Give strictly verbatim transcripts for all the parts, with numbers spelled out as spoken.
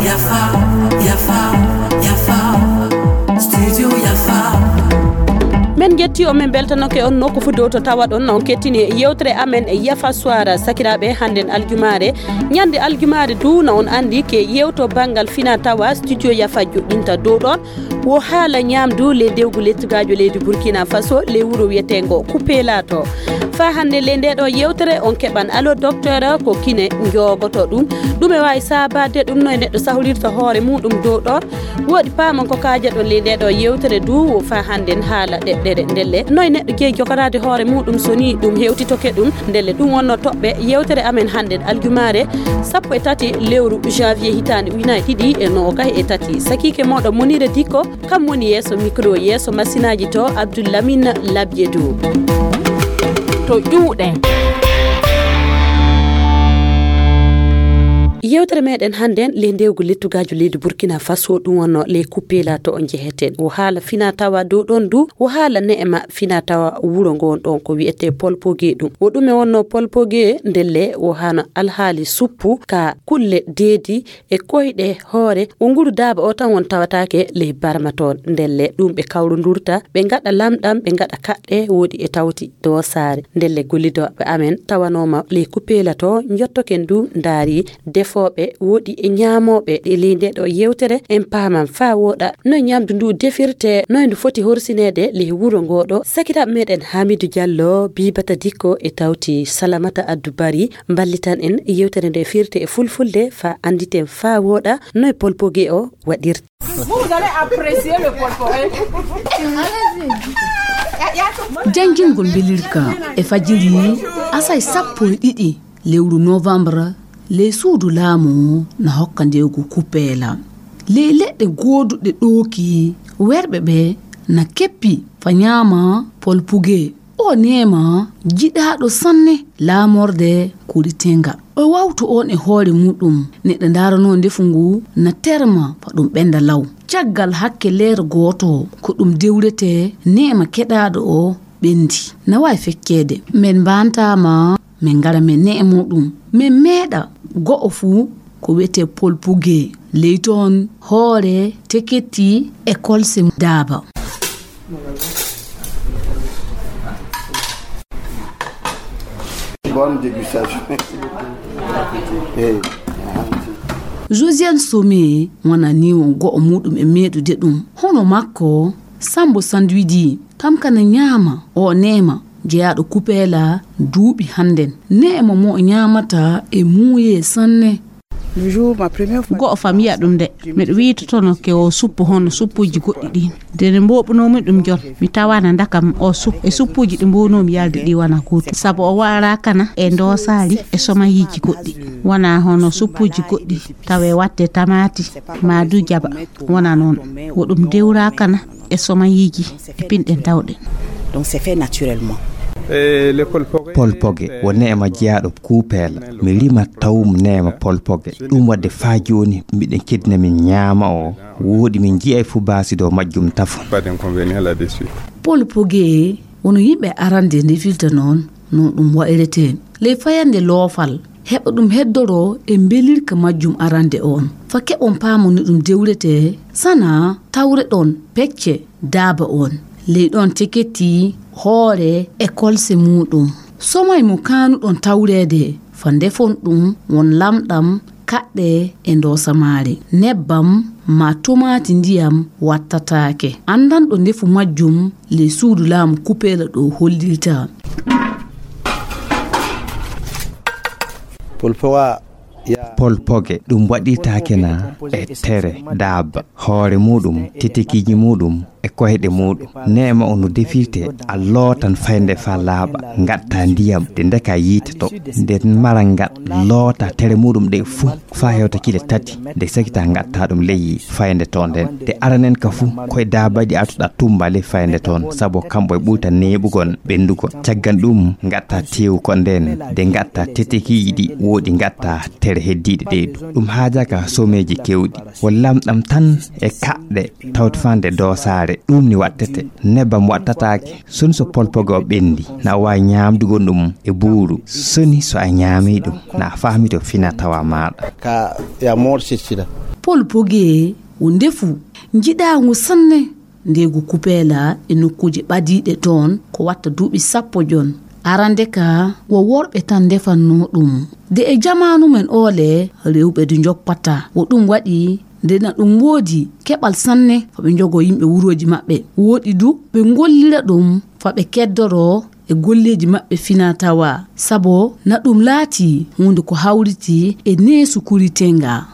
Yafa, Yafa, Yafa, Studio Yafa. Men jetti on, men beltanoke on nokku fu dow to tawaɗon on kettini yewtere amen e Yafa Soir. Sakiraaɓe, hannden aljumaare, ñande aljumaare du, na on anndi ke yewto banngal fina tawa Studio Yafa joɗɗinta dow ɗon. Wo haala ñaamdu ley dewgu lettugaajo leydi Burkina Faso, ley wuro wiyeteengo Kupelato. Faa hannde ley ndee ɗoo yewtere on keɓan Allo Docteur ko kine njoogoto ɗum. Ɗum e waawi saabaade ɗum no e neɗɗo sahlirirta hoore muuɗum dow ɗoon. Woɗi paamon ko kaajaɗon ley ndee ɗoo yewtere du, wo faa hannden haala ɗeɗɗere ndelle. No e neɗɗo jeyi jogoraade hoore muuɗum so nii ɗum hewtitoke ɗum. Ndelle ɗum wonno toɓɓe yewtere amen hannden aljumaare sappo e tati lewru janvier hitaande ujunaaji ɗiɗi e noogayi e tati. Sakiike mooɗon Munira Dikko, kam woni yeeso mikro, yeeso masinaaji to Abdoul Lamine Labiedo. To ƴuuɗe. Yewtere meɗen hannden ley ndewgu lettugaajo leydi Burkina Faso, ɗum wonno ley Kupelato o njeheten. Wo haala fina tawa dow ɗon du, wo haala ne'ema fina tawa wuro ngon ɗon ko wiyetee Polpoge ɗum. Wo ɗume wonno Polpoge? Ndelle wo hano alhaali suppu ka kulle deedi e koyɗe hoore. Wo nguru daaba o tan won tawataake ley barma toon. Ndelle ɗum ɓe kawrundurta, ɓe ngaɗa lamɗam, ɓe ngaɗa kaɗɗe, woɗi e tawti doosaare. Ndelle gollidooɓe amen tawanooma ley Kupelato, njottoken du ndaari defooɓe, woɗi e ñaamooɓe e ley ndee ɗoo yewtere. En paaman faa wooɗa no ñaamdu ndu defirtee, no ndu foti horsineede ley wuro ngoo ɗoo. Sakiraaɓe meɗen Hamidou Diallo, Bibata Dikko e tawti Salamata Addu Bari mballitan en yewtere nde firte e fulfulde faa annditen faa wooɗa no e Polpoge o waɗirta. Vous, vous allez apprécier le Polpoge. Janjingol mbelirka e fajiri asay sappo e ɗiɗi lewru novembre, ley suudu laamu na hokka ndewgu Kupela. Ley leɗɗe gooduɗe ɗooki, werɓe ɓe na keppi fa ñaama Polpuge. O neema jiɗaaɗo sanne laamorde Kuritenga. O wawtu on e hoore muɗum. Neɗɗo ndaranoo ndefu ngu na terma fa ɗum ɓenda law. Caggal hakke leer gooto ko ɗum dewretee, neema keɗaaɗo o ɓendi. Na waawi fecceede. Men mbaantaama, men ngara men ne'e muɗum. Men meeɗa go'o fuu ko wiyetee Polpuge. Ley toon hoore teketti e kolse daaba. Bonne dégustation. Eh. Josiane Somé wona ni won go'o muɗum e meeɗude ɗum. Hono makko, Sambo Sandwidi, kam kana ñaama, o neema, jeyaaɗo Kupeela duuɓi hannden. Neema mo o ñaamata e muuye sanne. Le jour, ma première fois. Go'o fam yiya ɗum de, miɗo wiitotono ke o suppu hono suppuuji goɗɗi ɗin. Nde ne mboɓunoomi ɗum jon, mi tawana ndakam o suppu. E suppuuji ɗi mbownoomi yalde ɗi wona gootum. Sabu o waɗa kana e ndoosaali e somayiiji goɗɗi. Wona hono suppuuji goɗɗi, tawe watte tamaati, ma du jaba. Wona noon. Wo ɗum dewra kana e somayiiji e pinɗen tawɗen. Donc c'est fait naturellement. Polpoge, wo neema jeyaaɗo Kuupeela. Mi rima tawum neema Polpoge. Ɗum waɗde faa jooni miɗen keddina min ñaama o. Wooɗi min nji'ay fu baasi dow majjum tafon. Pas d'inconvénient là-dessus. Polpoge, wono yimɓe arande ndefirta noon, no ɗum wa'iretee. Ley fayande loofal, heɓa ɗum heddoroo e mbelirka majjum arande on. Fa keɓon paamon no ɗum dewretee, sana tawreɗon pecce daaba on. Ley ɗon teketti hoore e kolse muuɗum. Somay mo kaanuɗon tawreede, fa ndefon ɗum won lamɗam, kaɗɗe e ndoosa maare. Nebbam ma tomaati ndiyam wattataake. Anndanɗo ndefu majjum ley suudu laamu Kupeela ɗo hollirta. Polpowa. Polpoge, ɗum waɗirtaake na e tere daaba, hoore muuɗum, titikiiji muuɗum e koyɗe muuɗum. Neema o no defirte, a lootan faynde faa laaɓa, ngatta ndiyam, de ndeka yiite to. Nde maral ngal loota tere muuɗum ɗe fuu faa hewta kile tati, de sakita ngatta ɗum ley faynde to nden. De aranen ka fuu, koye daabaaji artuɗa tumba ley faynde toon, sabu kamɓe ɓurta neeɓugol, ɓenndugol. Caggal ɗum, ngatta teewu ko nden, de ngatta tetekiiji ɗi woɗi ngatta tere heddiiɗe ɗe du. Ɗum haajaaka someeji keewɗi. Wo lamɗam tan e kaɗɗe tawti fande doosaare. E ɗum ni waɗtete, nebbam waɗtataake. Soni so polpoge o ɓenndi, na a waawi ñaamdugo ɗum e buuru. Soni so a ñaami ɗum, na a faami to fina tawa maaɗa. Ka ya moor sittira. Polpoge o ndefu njiɗaangu sanne. Ndeegu kupeela e nokkuuje ɓadiiɗe toon ko watta duuɓi sappo jon. Arande ka wo worɓe tan ndefannoo ɗum. De e jamaanu men oole, rewɓe du njoppata. Wo ɗum waɗi nde na ɗum woodi keɓal sanne fa ɓe njogoo yimɓe wurooji maɓɓe. Wooɗi du ɓe ngollira ɗum fa ɓe keddoroo e golleeji maɓɓe fina tawa. Sabo na ɗum laatii huunde ko hawriti e neesu kuritenga.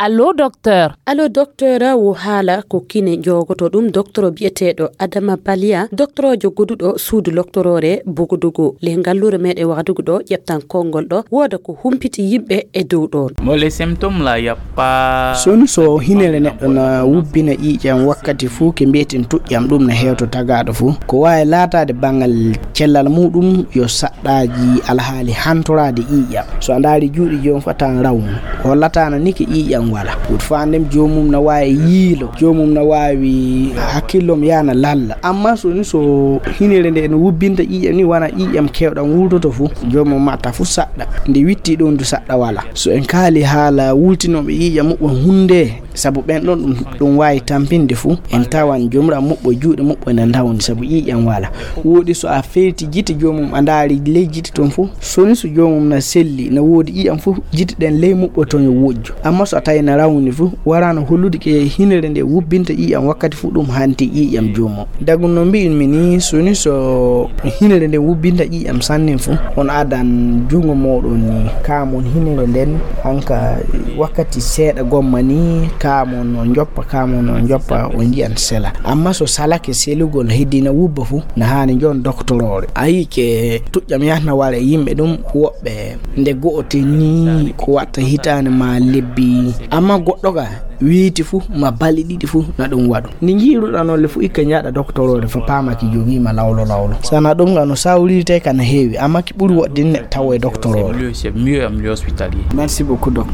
Allo, docteur. Allo, docteur, wo haala ko kine joogoto ɗum docteur biyeteeɗo Adama Baliya, docteurjo goduɗo suudu loktoroore Bogodogo. Le ngalluure meɗen Wagadugu ɗo, ƴeftan konngol ɗo, wooda ko humpiti yimɓe e dow ɗoon. Mo le symptôme la, y a pas. Soni so hinere neɗɗo na wubbina ƴiiƴam wakkati fuu, ke mbiyetin tuƴƴam, ɗum na hewto tagaaɗo fuu. Ko waawi laataade banngal cellal muɗum yo saɗɗaaji alhaali hantoraade ƴiiƴam. So a ndaari juuɗe joom fatan rawnu, hollataana ni ke ƴiiƴam wala. Wut faandem joomum na waawi yiilo, joomum na waawi hakkillom yaana lalla. Amma so ni so hinere nde no wubbinta ƴiiƴam ni wana ƴiiƴam kewɗam wultoto fu, joomum matta fu saɗɗa. Nde witti ɗon du saɗɗa wala. So en kaali haala wultinooɓe ƴiiƴam muɓɓam hunde, sabu ɓen ɗon ɗum, ɗum waawi tampinde fu, en tawan jomra muɓɓo juuɗe muɓɓo ene ndawni sabu ƴiiƴam wala. Wooɗi so a feyti jite joomum a ndaari ley jite ton fu, soni so joomum na selli, na woodi ƴiiƴam fu, jite ɗen ley muɓɓo ton yo wojju. Amma so a tawi na rawni fu, waraano hollude ke hinere nde wubbinta ƴiiƴam wakkati fu ɗum hanti ƴiiƴam joomum. Dagu no mbi'in mi ni, soni so hinere nden wubbinta ƴiiƴam sanne fu, on adan junngo mooɗon ni, kaamon hinere nden, hanka wakkati seeɗa gomma ni, kaamon on joppa, kaamon on joppa, on nji'an sela. Amma so salake selugol heddina wubba fu, na haani njon doktoroore. A yi'i ke tuƴƴam yahna wara e yimɓe ɗum, woɓɓe nde go'ote ni ko watta hitaande ma lebbi. Amma goɗɗo ka, weeti fu, ma balɗe ɗiɗi fu, na ɗum waɗu. Nde njiiruɗaa noon le fu, ikka njaaɗa doktoroore fa paama ki jogiima lawlo lawlo. Sana ɗum nga no sawrirte ka na heewi, amma ki ɓuri woɗɗinde tawo e doktoroore. C'est mieux, c'est mieux, c'est mieux hospitalier. Merci beaucoup, docteur.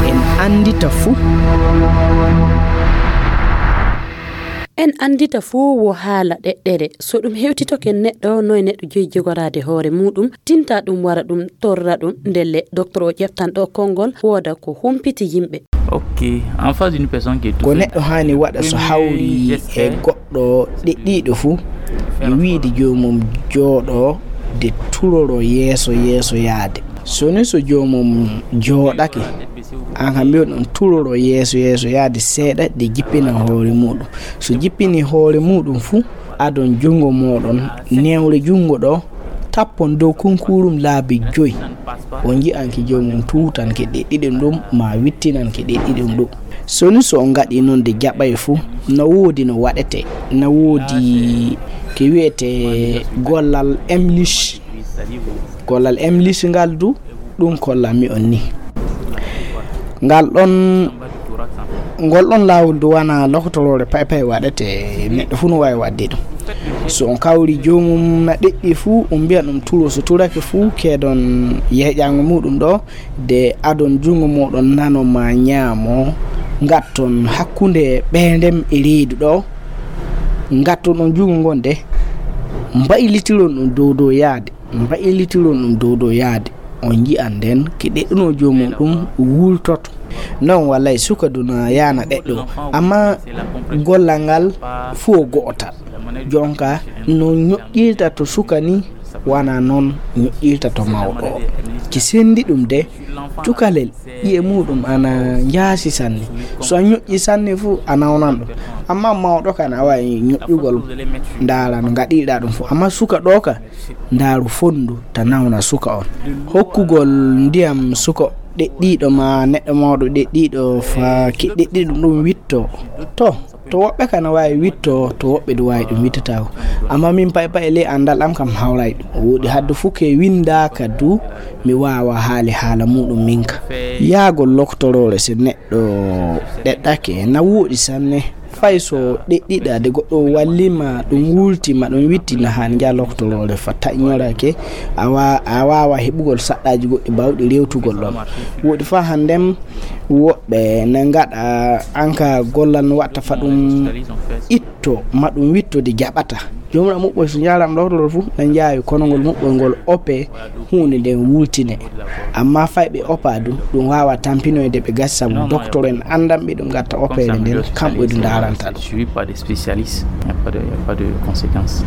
En anndita fu. En anndita fuu wo haala ɗeɗɗere. So ɗum hewtitoke neɗɗo, noy neɗɗo joyi jogoraade hoore muuɗum, tinta ɗum wara ɗum torra ɗum, ndelle docteur o ƴeftan ɗo konngol, wooda ko humpiti yimɓe. Ok, en face d'une personne qui est tout ko neɗɗo haani waɗa so hawri e goɗɗo ɗeɗɗiiɗo fuu, yo wiide joomum jooɗo de turoro yeeso yeeso yaade. So ni so joomum jooɗake, aan kam mbiyon ɗum turoro yeeso yeeso yaade seeɗa de jippina hoore muuɗum. So jippini hoore muuɗum fu, adon junngo mooɗon newre junngo ɗo, tappon dow kunkuurum laabi joy. On nji'anke joomum tuutanke ɗeɗɗiɗum ɗum, ma wittinanke ɗeɗɗiɗum ɗum. So ni so on ngaɗi noon de jaɓay fu, na woodi no waɗete, na woodi ke wi'ete gollal emlish. Gollal emlish ngal du, ɗum kollanmi on ni. Ngal ɗon, ngol ɗon laawol du wana lokotoroore pay pay waɗete, neɗɗo fuu no waawi waɗde ɗum. So on kawri joomum na ɗeɗɗi fuu, on mbiya ɗum turo, so turake fuu, keedon yeeƴaango muuɗum ɗo, de adon junngo mooɗon nano ma ñaamo, ngatton hakkunde ɓeendem e reedu ɗo, ngatton on junngo ngon de, mbaylitiron ɗum dow dow yaade. Mbaylitiron ɗum dow dow yaade, on nji'an nden ke ɗeɗɗunoo joomum ɗum wultoto. Non wallay suka duna yaana ɗeɗɗo, amma gollal ngal fuu o go'otal. Jonka no ñoƴƴirta to suka ni, wana non ñoƴƴirta to mawɗo o. Ki sendi ɗum de, cukalel ƴi'e muuɗum ana njaasi sanne. So a ñoƴƴi sanne fuu, a nawnan ɗum. Amma mawɗo kan, a waawi ñoƴƴugol, ndaara no ngaɗirɗaa ɗum fuu. Amma suka ɗo ka, ndaaru fonndu, ta nawna suka on. Hokkugol ndiyam suka ɗeɗɗiiɗo ma neɗɗo mawɗo ɗeɗɗiiɗo fa ki ɗeɗɗiiɗo ɗum witto. To, to woɓɓe kan waawi witto, to woɓɓe du waawi ɗum wittataako. Amma min pay pay ley anndal am kam hawray ɗum. Wooɗi haddu fuu ke winndaaka du, mi waawa haali haala muuɗum min ka. Yaagol loktoroore si neɗɗo ɗeɗɗake na wooɗi sanne. Fay so ɗeɗɗiɗa de goɗɗo wallima ɗum wultima ɗum wittina han nja loktoroore fa taƴñorake a wa- a wawa heɓugol saɗɗaji goɗɗi bawɗi rewtugol ɗon. Woɗi fa hannden woɓɓe na ngaɗa anka gollal no watta fa ɗum itto ma ɗum witto de jaɓata. Jomra muɓɓoy so njaram loktoroore fu na njaawi kono ngol muɓɓoy ngol ope huunde nden wultine. Amma fay ɓe opa du ɗum wawa tampinoyde ɓe gasi sabu docteur en andanɓe ɗum gatta opere nden kamɓe du ndaranta ɗum. Suivi par des spécialistes, il n'y a pas de, il n'y a pas de conséquences.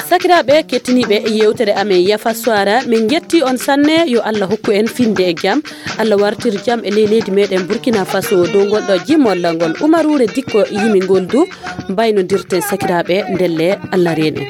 Sakiraaɓe kettiniiɓe yewtere amen yafa soara, min njetti on sanne. Yo Allah hokku en finde e jam. Allah wartir jam e ley leydi meɗen Burkina Faso. Dow ngol ɗo jimol ngol umaruure dikko yimi ngol du. Mbaynodirten sakiraaɓe ndelle Allah reene.